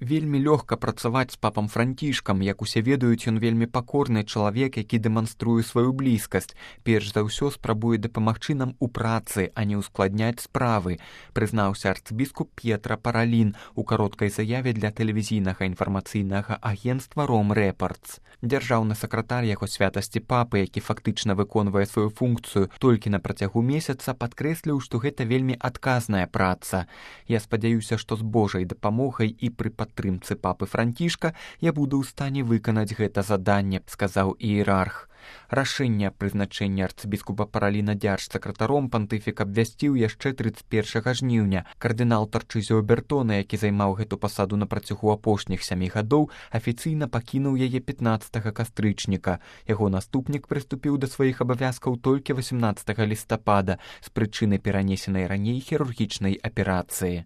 Вельмі лёгка працаваць з папам Францішкам, як усе ведаюць, ён вельмі пакорны чалавек, які дэманструе сваю блізкасць. Перш за ўсё спрабуе дапамагчы нам у працы, а не ўскладняць справы, прызнаўся арцбіскуп П'етра Паралін у кароткай заяве для тэлевізійнага інфармацыйнага агенцтва «Ром Рэпартс». Дзяржаўны сакратар яго святасці папы, які фактычна выконвае сваю функцыю толькі на працягу месяца, падкрэсліў, што гэта вельмі адказная праца. Я спадзяюся, што з Божай дапамогай і пры падтрымцы папы Францішка я буду ў стане выканаць гэта заданне, сказаў іерарх. Рашэнне прызначэння арцбіскупа Параліна дзяржсакратаром пантыфік абвясціў яшчэ 31 жніўня. Кардынал Тарчызіо Бертона, які займаў гэту пасаду на працягу апошніх 7 гадоў, афіцыйна пакінуў яе 15 кастрычніка. Яго наступнік прыступіў да сваіх абавязкаў толькі 18 лістапада з прычыны перанесенай раней хірургічнай аперацыі.